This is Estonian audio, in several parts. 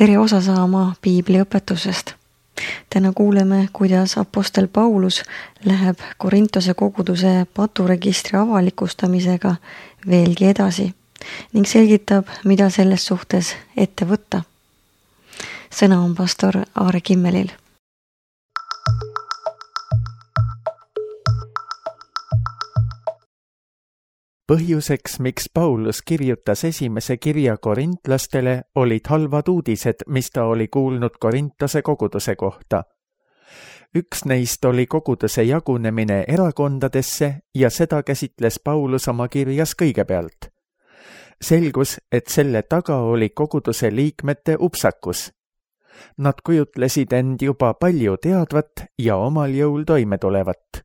tere osa saama piibliõpetusest. Täna kuuleme, kuidas apostel Paulus läheb Korintose koguduse paturegistri avalikustamisega veelgi edasi ning selgitab, mida selles suhtes ette võtta. Sõna on pastor Aare Kimmelil. Põhjuseks, miks Paulus kirjutas esimese kirja korintlastele, olid halvad uudised, mis ta oli kuulnud Korintose koguduse kohta. Üks neist oli koguduse jagunemine erakondadesse ja seda käsitles Paulus oma kirjas kõigepealt. Selgus, et selle taga oli koguduse liikmete upsakus. Nad kujutlesid end juba palju teadvat ja omal jõul toime tulevat.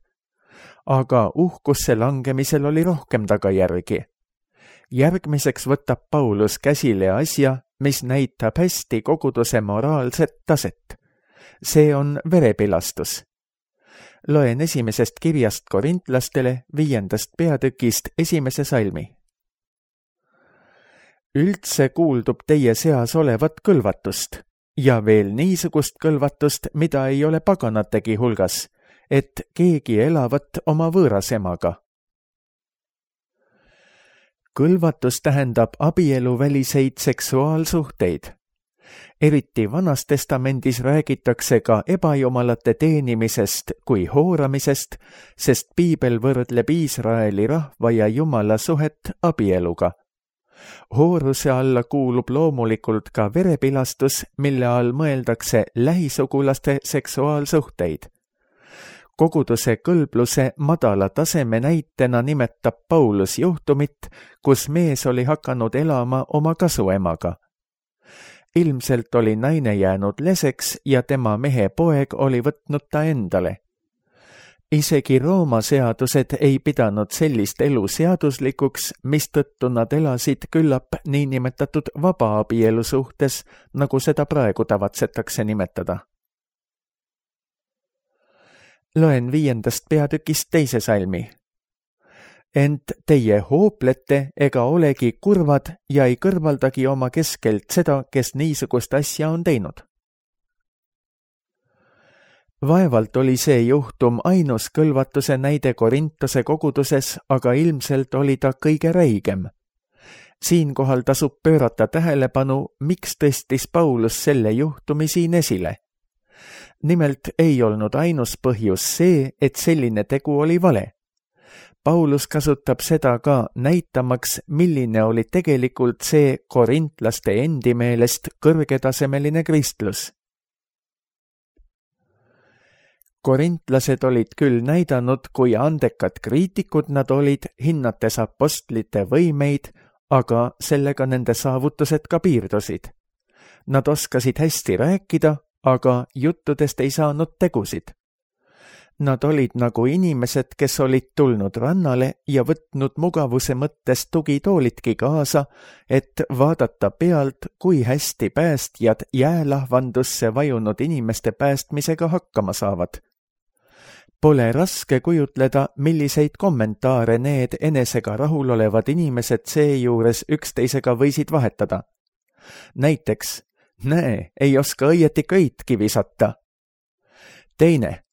Aga uhkusse langemisel oli rohkem tagajärgi. Järgmiseks võtab Paulus käsile asja, mis näitab hästi koguduse moraalset taset. See on verepilastus. Loen esimesest kirjast korintlastele 5. peatükist 1. salmi. Üldse kuuldub teie seas olevat kõlvatust ja veel niisugust kõlvatust, mida ei ole paganategi hulgas, et keegi elavat oma võõrasemaga. Kõlvatus tähendab abieluväliseid seksuaalsuhteid. Eriti Vanas Testamendis räägitakse ka ebajumalate teenimisest kui hooramisest, sest Piibel võrdleb Iisraeli rahva ja Jumala suhet abieluga. Hooruse alla kuulub loomulikult ka verepilastus, mille all mõeldakse lähisugulaste seksuaalsuhteid. Koguduse kõlbluse madala taseme näitena nimetab Paulus juhtumit, kus mees oli hakanud elama oma kasuemaga. Ilmselt oli naine jäänud leseks ja tema mehe poeg oli võtnud ta endale. Isegi Rooma seadused ei pidanud sellist elu seaduslikuks, mistõttu nad elasid küllap niinimetatud vabaabielu suhtes, nagu seda praegu tavatsetakse nimetada. Loen 5. peatükist 2. salmi. Ent teie hooplete ega olegi kurvad ja ei kõrvaldagi oma keskelt seda, kes niisugust asja on teinud. Vaevalt oli see juhtum ainus kõlvatuse näide Korintose koguduses, aga ilmselt oli ta kõige räigem. Siinkohal tasub pöörata tähelepanu, miks tõstis Paulus selle juhtumi siin esile. Nimelt ei olnud ainus põhjus see, et selline tegu oli vale. Paulus kasutab seda ka näitamaks, milline oli tegelikult see korintlaste endi meelest kõrgetasemeline kristlus. Korintlased olid küll näidanud, kui andekad kriitikud nad olid, hinnates apostlite võimeid, aga sellega nende saavutused ka piirdusid. Nad oskasid hästi rääkida, aga juttudest ei saanud tegusid. Nad olid nagu inimesed, kes olid tulnud rannale ja võtnud mugavuse mõttes tugitoolitki kaasa, et vaadata pealt, kui hästi päästjad jäälahvandusse vajunud inimeste päästmisega hakkama saavad. Pole raske kujutleda, milliseid kommentaare need enesega rahulolevad inimesed seejuures üksteisega võisid vahetada. Näiteks, näe, ei oska õieti köitki visata. Teine,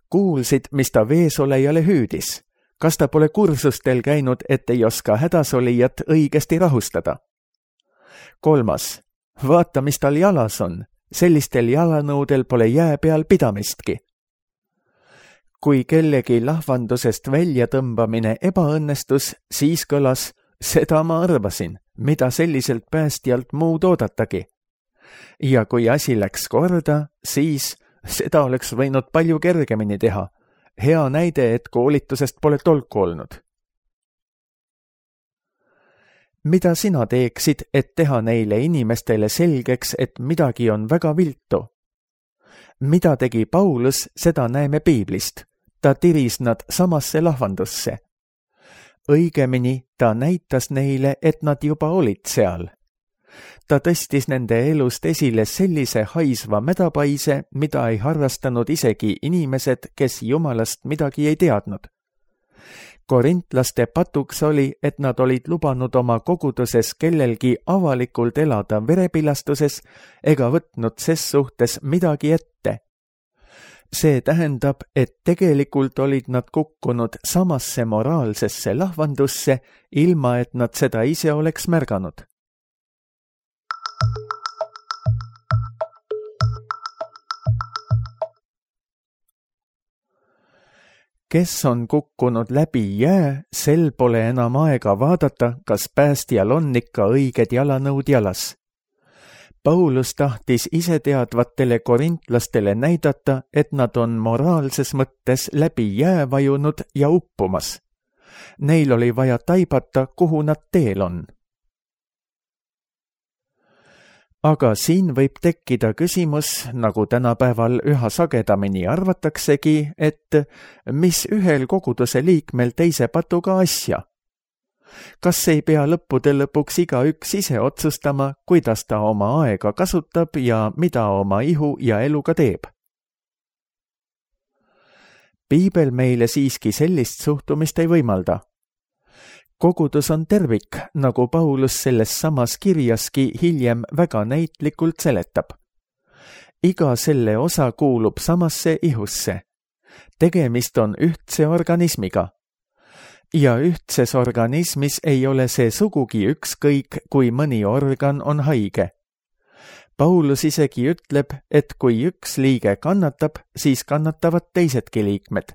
kuulsid, mis ta veesolejale hüüdis. Kas ta pole kursustel käinud, et ei oska hädasolijat õigesti rahustada? Kolmas, vaata, mis tal jalas on. Sellistel jalanõudel pole jää peal pidamistki. Kui kellegi lahvandusest välja tõmbamine ebaõnnestus, siis kõlas, seda ma arvasin, mida selliselt päästjalt muud oodatagi. Ja kui asi läks korda, siis seda oleks võinud palju kergemini teha. Hea näide, et koolitusest pole tolku olnud. Mida sina teeksid, et teha neile inimestele selgeks, et midagi on väga viltu? Mida tegi Paulus, seda näeme Piiblist. Ta tiris nad samasse lahvandusse. Õigemini ta näitas neile, et nad juba olid seal. Ta tõstis nende elust esile sellise haisva mädapaise, mida ei harrastanud isegi inimesed, kes Jumalast midagi ei teadnud. korintlaste patuks oli, et nad olid lubanud oma koguduses kellelgi avalikult elada verepilastuses ega võtnud ses suhtes midagi ette. See tähendab, et tegelikult olid nad kukkunud samasse moraalsesse lahvandusse, ilma et nad seda ise oleks märganud. Kes on kukkunud läbi jää, sel pole enam aega vaadata, kas päästjal on ikka õiged jalanõud jalas. Paulus tahtis iseteadvatele korintlastele näidata, et nad on moraalses mõttes läbi jää vajunud ja uppumas. Neil oli vaja taibata, kuhu nad teel on. Aga siin võib tekkida küsimus, nagu tänapäeval üha sagedamini arvataksegi, et mis ühel koguduse liikmel teise patuga asja? Kas ei pea lõppude lõpuks igaüks ise otsustama, kuidas ta oma aega kasutab ja mida oma ihu ja eluga teeb? Piibel meile siiski sellist suhtumist ei võimalda. Kogudus on tervik, nagu Paulus selles samas kirjaski hiljem väga näitlikult seletab. Iga selle osa kuulub samasse ihusse. Tegemist on ühtse organismiga. Ja ühtses organismis ei ole see sugugi ükskõik, kui mõni organ on haige. Paulus isegi ütleb, et kui üks liige kannatab, siis kannatavad teisedki liikmed.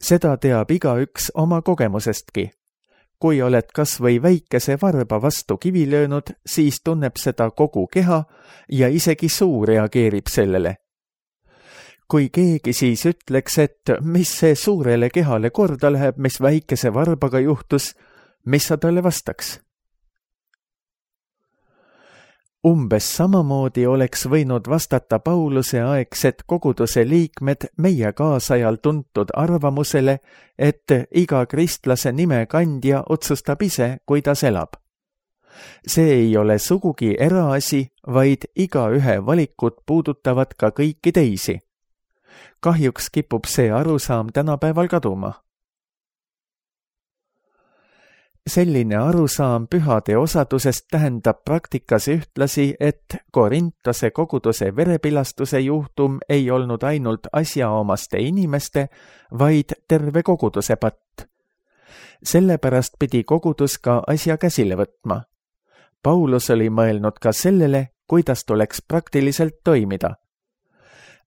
Seda teab igaüks oma kogemusestki. Kui oled kas või väikese varba vastu kivi löönud, siis tunneb seda kogu keha ja isegi suu reageerib sellele. Kui keegi siis ütleks, et mis see suurele kehale korda läheb, mis väikese varbaga juhtus, mis sa talle vastaks? Umbes samamoodi oleks võinud vastata Pauluse aegsed koguduse liikmed meie kaasajal tuntud arvamusele, et iga kristlase nime kandja otsustab ise, kuidas elab. See ei ole sugugi eraasi, vaid igaühe valikut puudutavad ka kõiki teisi. Kahjuks kipub see arusaam tänapäeval kaduma. Selline arusaam pühade osadusest tähendab praktikas ühtlasi, et Korintose koguduse verepilastuse juhtum ei olnud ainult asjaomaste inimeste, vaid terve koguduse patt. Sellepärast pidi kogudus ka asja käsile võtma. Paulus oli mõelnud ka sellele, kuidas tuleks praktiliselt toimida.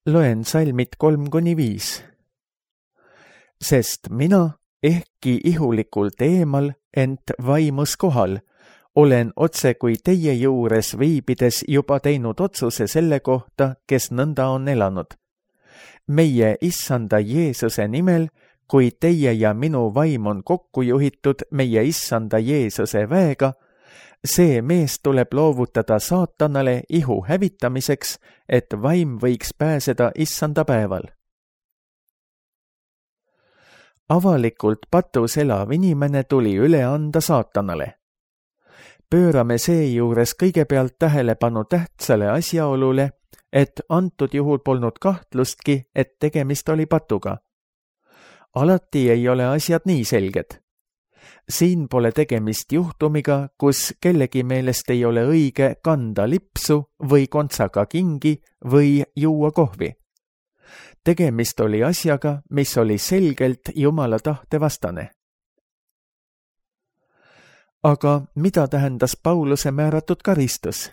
Loen salmid 3-5. Sest mina, ehkki ihulikult eemal, ent vaimus kohal, olen otse kui teie juures viibides juba teinud otsuse selle kohta, kes nõnda on elanud. Meie Issanda Jeesuse nimel, kui teie ja minu vaim on kokku juhitud meie Issanda Jeesuse väega, see mees tuleb loovutada saatanale ihu hävitamiseks, et vaim võiks pääseda Issanda päeval. Avalikult patus elav inimene tuli üle anda saatanale. Pöörame seejuures kõigepealt tähelepanu tähtsale asjaolule, et antud juhul polnud kahtlustki, et tegemist oli patuga. Alati ei ole asjad nii selged. Siin pole tegemist juhtumiga, kus kellegi meelest ei ole õige kanda lipsu või kontsaga kingi või juua kohvi. Tegemist oli asjaga, mis oli selgelt Jumala tahte vastane. Aga mida tähendas Pauluse määratud karistus?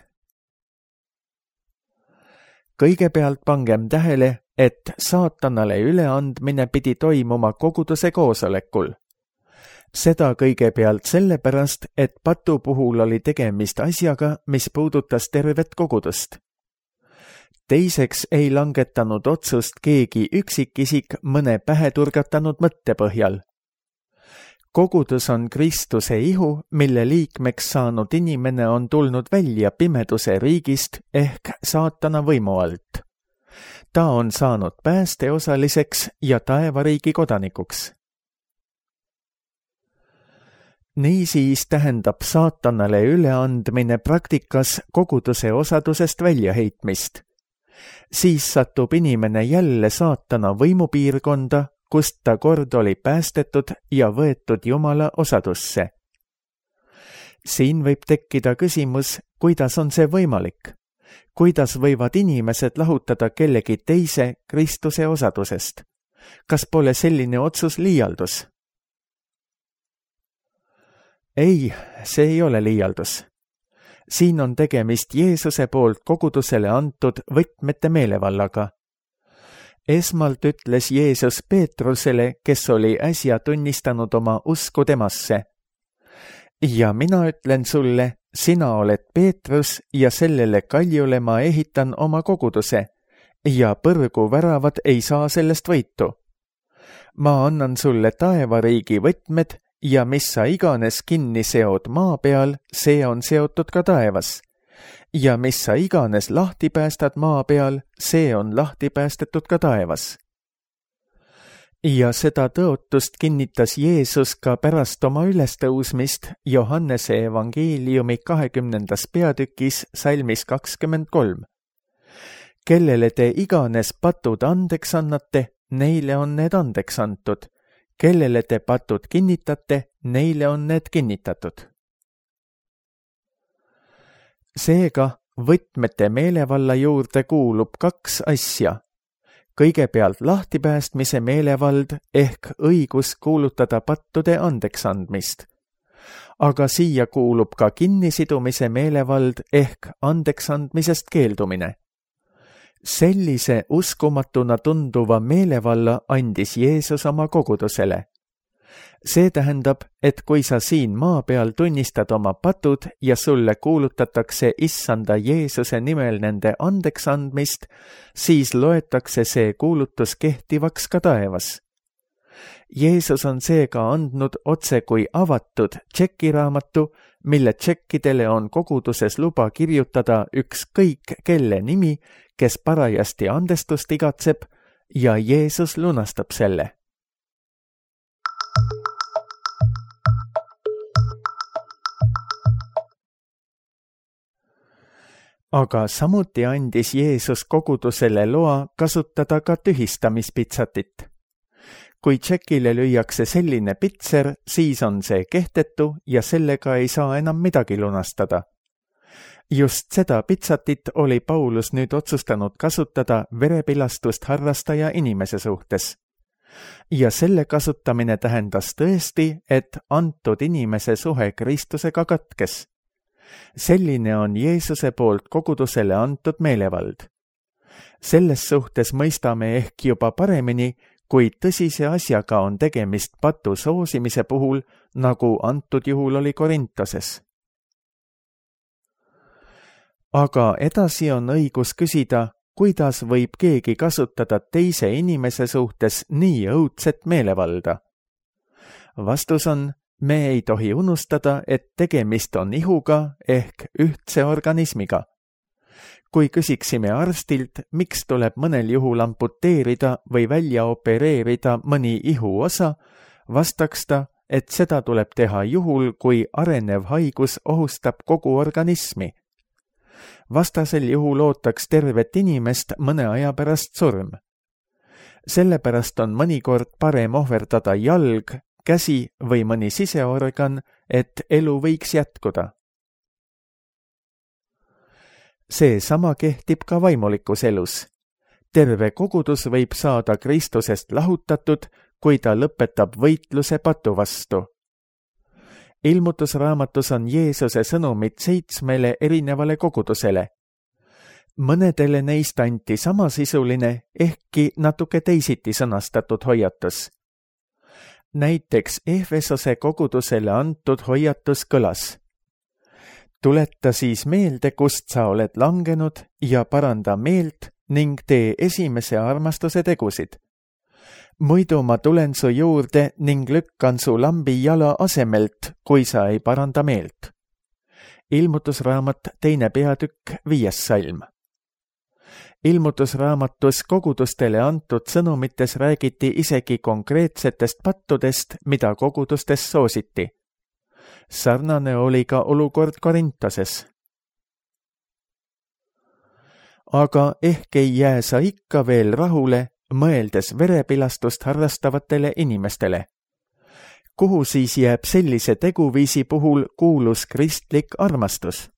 Kõigepealt pangem tähele, et saatanale üleandmine pidi toimuma koguduse koosolekul. Seda kõigepealt sellepärast, et patu puhul oli tegemist asjaga, mis puudutas tervet kogudust. Teiseks ei langetanud otsust keegi üksikisik mõne pähe turgatanud mõtte põhjal. Kogudus on Kristuse ihu, mille liikmeks saanud inimene on tulnud välja pimeduse riigist ehk saatana võimu alt. Ta on saanud päästeosaliseks ja taevariigi kodanikuks. Niisiis tähendab saatanale üleandmine praktikas koguduse osadusest väljaheitmist. Siis satub inimene jälle saatana võimupiirkonda, kust ta kord oli päästetud ja võetud Jumala osadusse. Siin võib tekkida küsimus, kuidas on see võimalik? Kuidas võivad inimesed lahutada kellegi teise Kristuse osadusest? Kas pole selline otsus liialdus? Ei, see ei ole liialdus. Siin on tegemist Jeesuse poolt kogudusele antud võtmete meelevallaga. Esmalt ütles Jeesus Peetrusele, kes oli äsja tunnistanud oma usku temasse. Ja mina ütlen sulle, sina oled Peetrus ja sellele kaljule ma ehitan oma koguduse ja põrgu väravad ei saa sellest võitu. Ma annan sulle taevariigi võtmed ja mis sa iganes kinni seod maa peal, see on seotud ka taevas. Ja mis sa iganes lahti päästad maa peal, see on lahti päästetud ka taevas. Ja seda tõotust kinnitas Jeesus ka pärast oma ülestõusmist Johannese evangeeliumi 20. peatükis salmis 23. Kellele te iganes patud andeks annate, neile on need andeks antud. Kellele te patud kinnitate, neile on need kinnitatud. Seega võtmete meelevalla juurde kuulub 2 asja. Kõigepealt lahtipäästmise meelevald ehk õigus kuulutada pattude andeksandmist. Aga siia kuulub ka kinnisidumise meelevald ehk andeksandmisest keeldumine. Sellise uskumatuna tunduva meelevalla andis Jeesus oma kogudusele. See tähendab, et kui sa siin maa peal tunnistad oma patud ja sulle kuulutatakse Issanda Jeesuse nimel nende andeks andmist, siis loetakse see kuulutus kehtivaks ka taevas. Jeesus on seega andnud otse kui avatud tšekiraamatu, mille tšekkidele on koguduses luba kirjutada ükskõik kelle nimi, kes parajasti andestust igatseb, ja Jeesus lunastab selle. Aga samuti andis Jeesus kogudusele loa kasutada ka tühistamispitsatit. Kui tšekile lüüakse selline pitser, siis on see kehtetu ja sellega ei saa enam midagi lunastada. Just seda pitsatit oli Paulus nüüd otsustanud kasutada verepilastust harrastaja inimese suhtes. Ja selle kasutamine tähendas tõesti, et antud inimese suhe Kristusega katkes. Selline on Jeesuse poolt kogudusele antud meelevald. Selles suhtes mõistame ehk juba paremini, kui tõsise asjaga on tegemist patu soosimise puhul, nagu antud juhul oli Korintoses. Aga edasi on õigus küsida, kuidas võib keegi kasutada teise inimese suhtes nii õudset meelevalda? Vastus on, me ei tohi unustada, et tegemist on ihuga ehk ühtse organismiga. Kui küsiksime arstilt, miks tuleb mõnel juhul amputeerida või välja opereerida mõni ihuosa, vastaks ta, et seda tuleb teha juhul, kui arenev haigus ohustab kogu organismi. Vastasel juhul ootaks tervet inimest mõne aja pärast surm. Sellepärast on mõnikord parem ohverdada jalg, käsi või mõni siseorgan, et elu võiks jätkuda. See sama kehtib ka vaimulikus elus. Terve kogudus võib saada Kristusest lahutatud, kui ta lõpetab võitluse patu vastu. Ilmutusraamatus on Jeesuse sõnumid 7 erinevale kogudusele. Mõnedele neist anti samasisuline, ehkki natuke teisiti sõnastatud hoiatus. Näiteks Efesose kogudusele antud hoiatus kõlas. Tuleta siis meelde, kust sa oled langenud ja paranda meelt ning tee esimese armastuse tegusid. Muidu ma tulen su juurde ning lükkan su lambi jala asemelt, kui sa ei paranda meelt. Ilmutusraamat 2. peatükk 5. salm. Ilmutusraamatus kogudustele antud sõnumites räägiti isegi konkreetsetest pattudest, mida kogudustes soositi. Sarnane oli ka olukord Korintoses. Aga ehk ei jää sa ikka veel rahule mõeldes verepilastust harrastavatele inimestele. Kuhu siis jääb sellise teguviisi puhul kuulus kristlik armastus?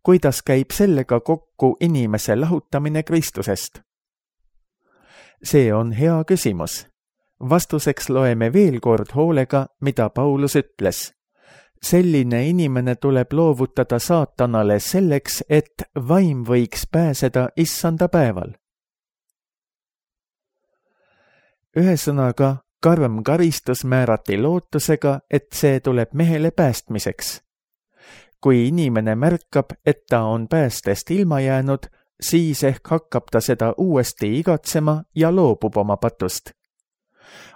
Kuidas käib sellega kokku inimese lahutamine Kristusest? See on hea küsimus. Vastuseks loeme veel kord hoolega, mida Paulus ütles. Selline inimene tuleb loovutada saatanale selleks, et vaim võiks pääseda issanda päeval. Ühesõnaga, karm karistus määrati lootusega, et see tuleb mehele päästmiseks. Kui inimene märkab, et ta on päästest ilma jäänud, siis ehk hakkab ta seda uuesti igatsema ja loobub oma patust.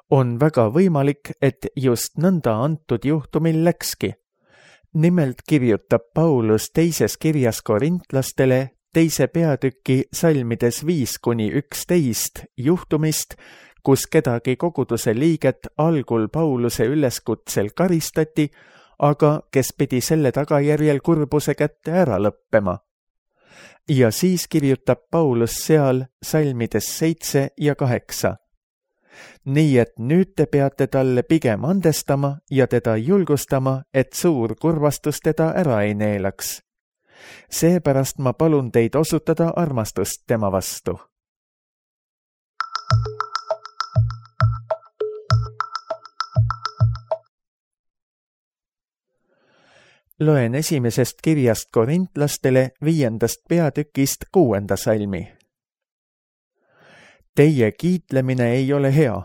On väga võimalik, et just nõnda antud juhtumil läkski. Nimelt kirjutab Paulus teises kirjas korintlastele 2. peatüki salmides 5-11 juhtumist, kus kedagi koguduse liiget algul Pauluse üleskutsel karistati, aga kes pidi selle tagajärjel kurbuse kätte ära lõppema. Ja siis kirjutab Paulus seal salmides 7 ja 8. Nii et nüüd te peate talle pigem andestama ja teda julgustama, et suur kurvastus teda ära ei neelaks. Seepärast ma palun teid osutada armastust tema vastu. Loen esimesest kirjast korintlastele 5. peatükist 6. salmi. Teie kiitlemine ei ole hea.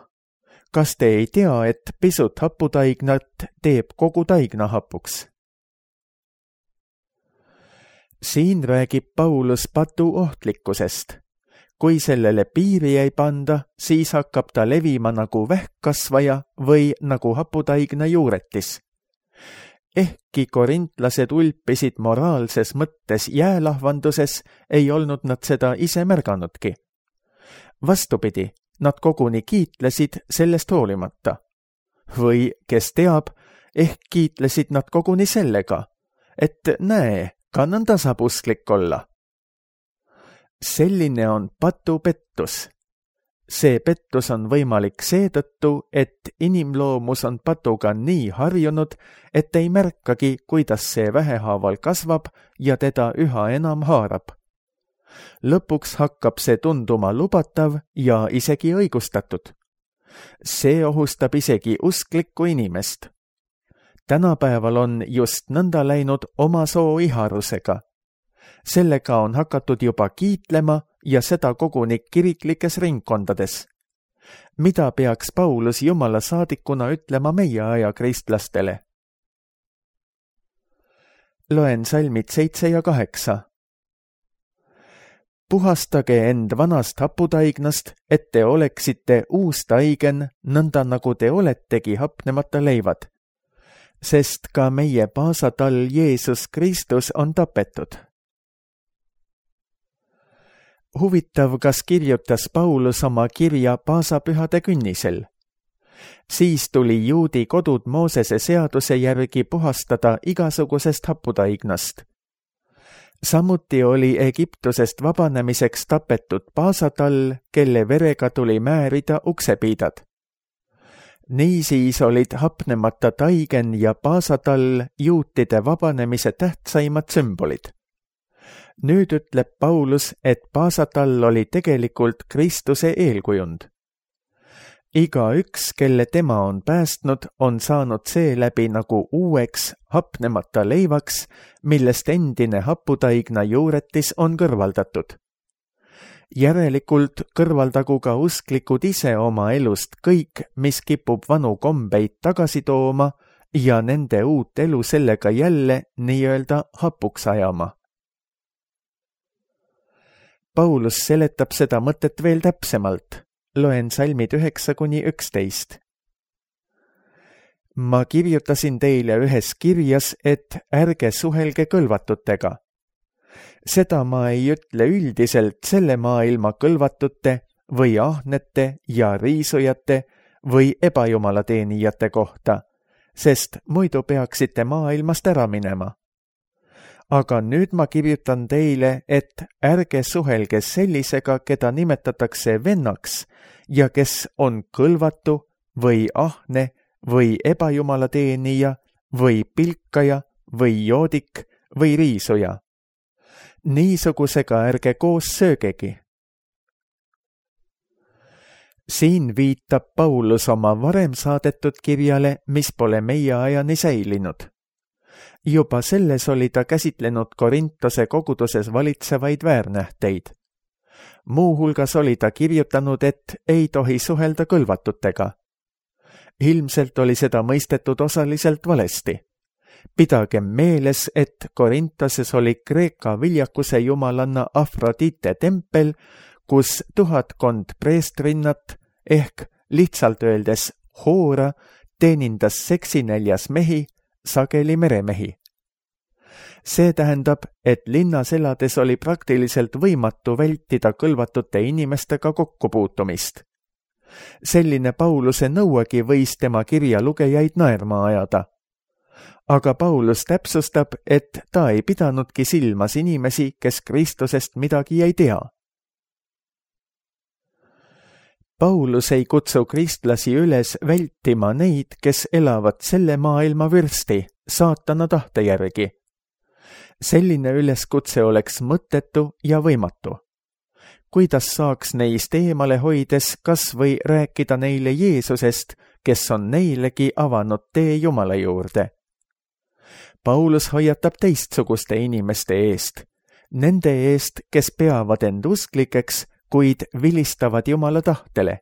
Kas te ei tea, et pisut haputaignat teeb kogu taigna hapuks? Siin räägib Paulus patu ohtlikkusest. Kui sellele piiri ei panda, siis hakkab ta levima nagu vähkkasvaja või nagu haputaigna juuretis. Ehkki korintlased ulpisid moraalses mõttes jäälahvanduses, ei olnud nad seda ise märganudki. Vastupidi, nad koguni kiitlesid sellest hoolimata. Või, kes teab, ehk kiitlesid nad koguni sellega, et näe, ka nõnda saab usklik olla. Selline on patupettus. See pettus on võimalik seetõttu, et inimloomus on patuga nii harjunud, et ei märkagi, kuidas see vähehaaval kasvab ja teda üha enam haarab. Lõpuks hakkab see tunduma lubatav ja isegi õigustatud. See ohustab isegi usklikku inimest. Tänapäeval on just nõnda läinud oma soo iharusega. Sellega on hakatud juba kiitlema ja seda koguni kiriklikes ringkondades. Mida peaks Paulus Jumala saadikuna ütlema meie aja kristlastele? Loen salmid 7 ja 8. Puhastage end vanast haputaignast, et te oleksite uus taigen, nõnda nagu te oletegi hapnemata leivad. Sest ka meie paasatall Jeesus Kristus on tapetud. Huvitav, kas kirjutas Paulus oma kirja paasapühade künnisel. Siis tuli juudi kodud Moosese seaduse järgi puhastada igasugusest haputaignast. Samuti oli Egiptusest vabanemiseks tapetud paasatall, kelle verega tuli määrida uksepiidad. Niisiis olid hapnemata taigen ja paasatall juutide vabanemise tähtsaimad sümbolid. Nüüd ütleb Paulus, et paasatall oli tegelikult Kristuse eelkujund. Igaüks, kelle tema on päästnud, on saanud seeläbi nagu uueks hapnemata leivaks, millest endine haputaigna juuretis on kõrvaldatud. Järelikult kõrvaldagu ka usklikud ise oma elust kõik, mis kipub vanu kombeid tagasi tooma ja nende uut elu sellega jälle nii-öelda hapuks ajama. Paulus seletab seda mõtet veel täpsemalt. Loen salmid 9-11. Ma kirjutasin teile ühes kirjas, et ärge suhelge kõlvatutega. Seda ma ei ütle üldiselt selle maailma kõlvatute või ahnete ja riisujate või ebajumalateenijate kohta, sest muidu peaksite maailmast ära minema. aga nüüd ma kirjutan teile, et ärge suhelge sellisega, keda nimetatakse vennaks ja kes on kõlvatu või ahne või ebajumalateenija või pilkaja või joodik või riisuja. Niisugusega ärge koos söögegi. Siin viitab Paulus oma varem saadetud kirjale, mis pole meie ajani säilinud. Juba selles oli ta käsitlenud Korintose koguduses valitsevaid väärnähteid. Muuhulgas oli ta kirjutanud, et ei tohi suhelda kõlvatutega. Ilmselt oli seda mõistetud osaliselt valesti. Pidagem meeles, et Korintoses oli Kreeka viljakuse jumalanna Afrodite tempel, kus 1000 preestrinnat ehk lihtsalt öeldes hoora teenindas seksinäljas mehi, sageli meremehi. See tähendab, et linnas elades oli praktiliselt võimatu vältida kõlvatute inimestega kokkupuutumist. Selline Pauluse nõuegi võis tema kirja lugejaid naerma ajada. Aga Paulus täpsustab, et ta ei pidanudki silmas inimesi, kes Kristusest midagi ei tea. Paulus ei kutsu kristlasi üles vältima neid, kes elavad selle maailma vürsti, saatana tahte järgi. Selline üleskutse oleks mõttetu ja võimatu. Kuidas saaks neist eemale hoides kas või rääkida neile Jeesusest, kes on neilegi avanud tee Jumala juurde? Paulus hoiatab teistsuguste inimeste eest, nende eest, kes peavad end usklikeks, kuid vilistavad Jumala tahtele.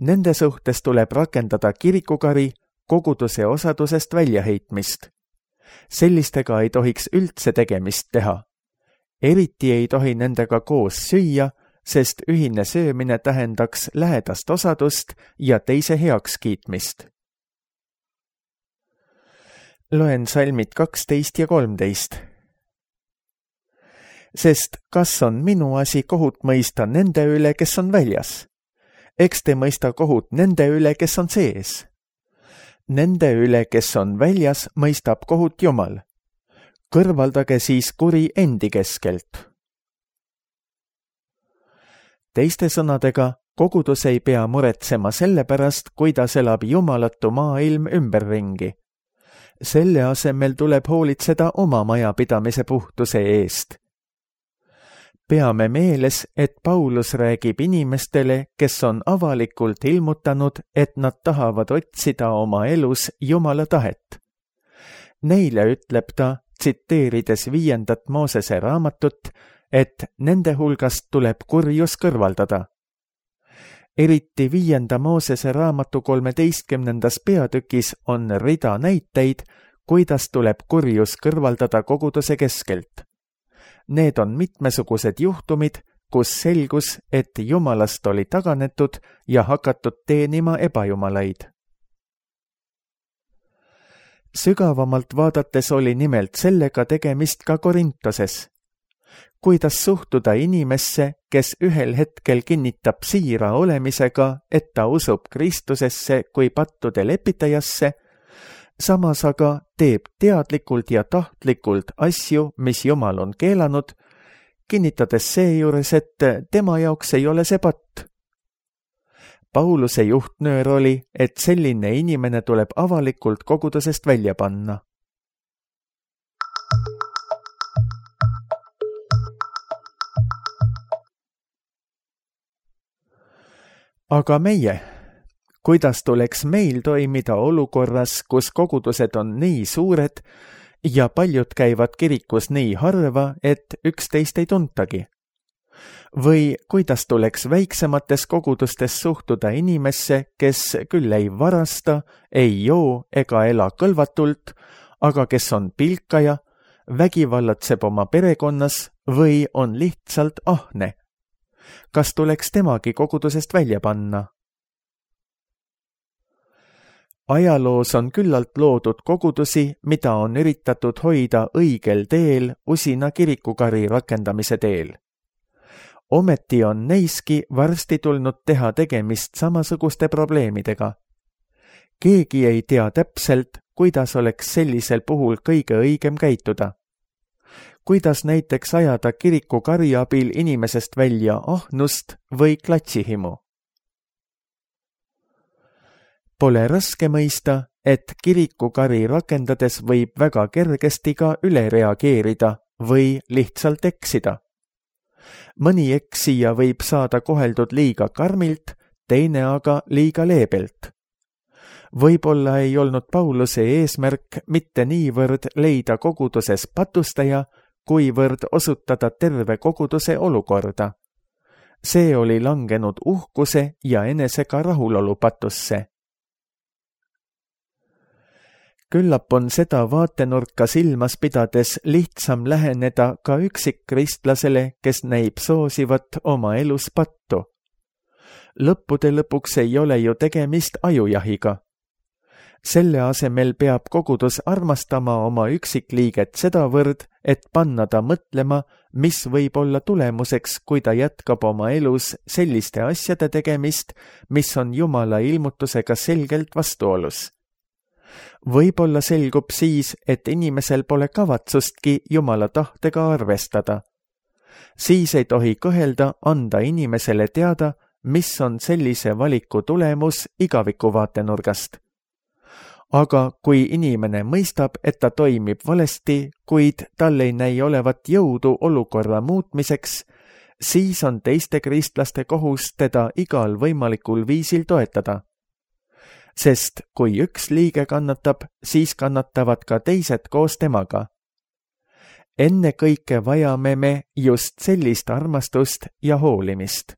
Nende suhtes tuleb rakendada kirikukari, koguduse osadusest väljaheitmist. Sellistega ei tohiks üldse tegemist teha. Eriti ei tohi nendega koos süüa, sest ühine söömine tähendaks lähedast osadust ja teise heakskiitmist. Loen salmid 12 ja 13. Sest kas on minu asi kohut mõista nende üle, kes on väljas? Eks te mõista kohut nende üle, kes on sees. Nende üle, kes on väljas, mõistab kohut Jumal. Kõrvaldage siis kuri endi keskelt. Teiste sõnadega, kogudus ei pea muretsema selle pärast, kuidas elab jumalatu maailm ümberringi. Selle asemel tuleb hoolitseda oma majapidamise puhtuse eest. Peame meeles, et Paulus räägib inimestele, kes on avalikult ilmutanud, et nad tahavad otsida oma elus Jumala tahet. Neile ütleb ta, tsiteerides 5. Moosese raamatut, et nende hulgast tuleb kurjus kõrvaldada. Eriti 5. Moosese raamatu 13. peatükis on rida näiteid, kuidas tuleb kurjus kõrvaldada koguduse keskelt. Need on mitmesugused juhtumid, kus selgus, et Jumalast oli taganetud ja hakatud teenima ebajumalaid. Sügavamalt vaadates oli nimelt sellega tegemist ka Korintoses. Kuidas suhtuda inimesse, kes ühel hetkel kinnitab siira olemisega, et ta usub Kristusesse kui pattude lepitajasse, samas aga teeb teadlikult ja tahtlikult asju, mis Jumal on keelanud, kinnitades seejuures, et tema jaoks ei ole see patt. Pauluse juhtnöör oli, et selline inimene tuleb avalikult kogudusest välja panna. Aga meie, kuidas tuleks meil toimida olukorras, kus kogudused on nii suured ja paljud käivad kirikus nii harva, et üksteist ei tuntagi? Või kuidas tuleks väiksemates kogudustes suhtuda inimesse, kes küll ei varasta, ei joo ega ela kõlvatult, aga kes on pilkaja, vägivallatseb oma perekonnas või on lihtsalt ahne? Kas tuleks temagi kogudusest välja panna? Ajaloos on küllalt loodud kogudusi, mida on üritatud hoida õigel teel usina kirikukari rakendamise teel. Ometi on neiski varsti tulnud teha tegemist samasuguste probleemidega. Keegi ei tea täpselt, kuidas oleks sellisel puhul kõige õigem käituda. kuidas näiteks ajada kirikukari abil inimesest välja ahnust või klatsihimu. Pole raske mõista, et kirikukari rakendades võib väga kergesti ka üle reageerida või lihtsalt eksida. Mõni eksija võib saada koheldud liiga karmilt, teine aga liiga leebelt. Võib-olla ei olnud Pauluse eesmärk mitte niivõrd leida koguduses patustaja, kuivõrd osutada terve koguduse olukorda. See oli langenud uhkuse ja enesega rahulolu patusse. Küllap on seda vaatenurka silmas pidades lihtsam läheneda ka üksikkristlasele, kes näib soosivat oma elus pattu. Lõppude lõpuks ei ole ju tegemist ajujahiga. Selle asemel peab kogudus armastama oma üksikliiget sedavõrd, et panna ta mõtlema, mis võib olla tulemuseks, kui ta jätkab oma elus selliste asjade tegemist, mis on Jumala ilmutusega selgelt vastuolus. Võib-olla selgub siis, et inimesel pole kavatsustki Jumala tahtega arvestada. Siis ei tohi kõhelda anda inimesele teada, mis on sellise valiku tulemus igaviku vaatenurgast. Aga kui inimene mõistab, et ta toimib valesti, kuid tal ei näi olevat jõudu olukorra muutmiseks, siis on teiste kristlaste kohus teda igal võimalikul viisil toetada. Sest kui üks liige kannatab, siis kannatavad ka teised koos temaga. Enne kõike vajame me just sellist armastust ja hoolimist.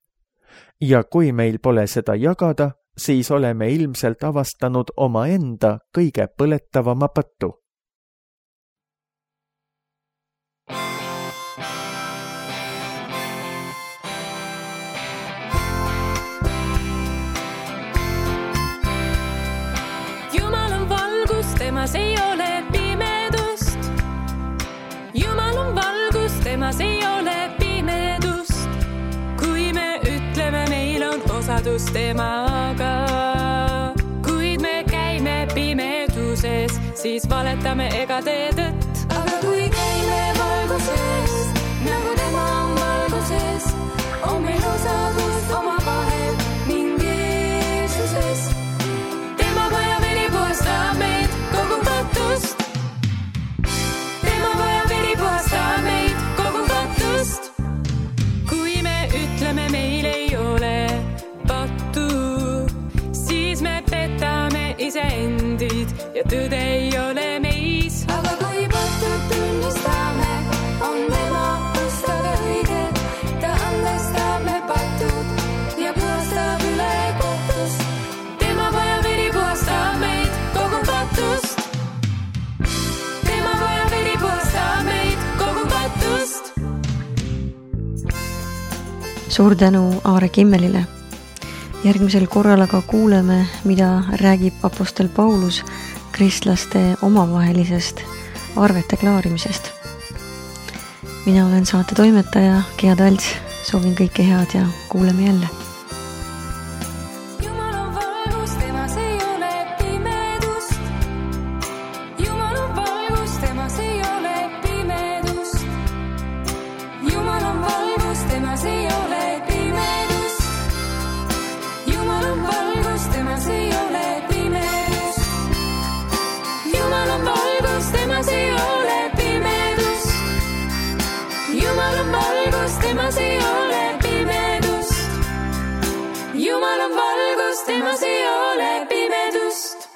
Ja kui meil pole seda jagada, siis oleme ilmselt avastanud omaenda kõige põletavama pattu. Jumal on valgus, temas ei ole pimedust. Jumal on valgus, temas ei ole pimedust. Kui me ütleme, meil on osadus temaga, kuid me käime pimeduses, siis valetame ega tee tõtt. Aga kui käime valguses, nagu tema on valguses, on meil osadus oma vahel ning Jeesuses. Tema vaja veri puhastab meid kogu patust. Tema vaja veri puhastab meid kogu patust. Kui me ütleme, meil ei ole pattu, siis me petame iseendid ja tõde ei ole meis. Aga kui pattud tunnistame, on tema pustaga õige. Ta andestab me patud ja puhastab üle kohtust. Tema vaja veri puhastab meid kogu patust. Tema vaja veri puhastab meid kogu patust. Suur tänu Aare Kimmelile. Järgmisel korral aga kuuleme, mida räägib apostel Paulus kristlaste omavahelisest arvete klaarimisest. Mina olen saate toimetaja Gea Talts, soovin kõike head ja kuuleme jälle. Jumal on valgus, temas ei ole pimedust. Jumal on valgus, temas ei ole pimedust. Jumal on valgus, temas ei ole pimedust. Jumal on valgus, temas ei ole pimedust. Jumal on valgus, temas ei ole pimedust. Jumal on valgus, temas ei ole pimedust. Jumal on valgus, temas ei ole pimedust.